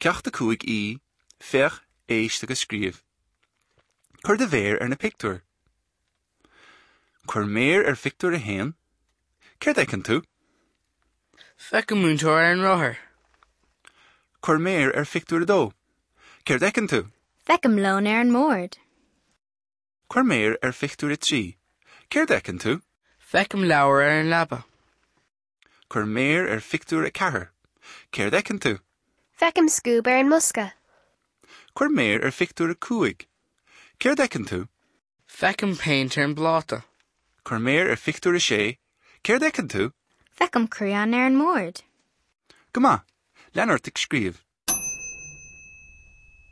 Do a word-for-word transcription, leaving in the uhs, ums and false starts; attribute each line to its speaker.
Speaker 1: Ceacht a cúig E, Féach, éist agus scríobh. Cuir do mhéar ar na pictiúir. Cuir méar ar phictiúr a haon. Céard a fheiceann tú?
Speaker 2: Feicim múinteoir ar an rothar.
Speaker 1: Cuir méar ar phictiúr a dó. Céard a fheiceann tú?
Speaker 3: Feicim lón ar an mbord.
Speaker 1: Cuir méar ar phictiúr a trí. Céard a fheiceann tú?
Speaker 2: Feicim leabhar ar an leaba.
Speaker 1: Cuir méar ar phictiúr a ceathair. Céard a fheiceann tú?
Speaker 4: Feicim scuab ar an mbosca.
Speaker 1: Cuir méar ar phictiúr a cúig. Céard a fheiceann tú?
Speaker 2: Feicim péint ar an bpláta.
Speaker 1: Cuir méar ar phictiúr a sé. Céard a fheiceann tú?
Speaker 3: Feicim crián ar an mbord.
Speaker 1: Go maith, lean ort ag scríobh.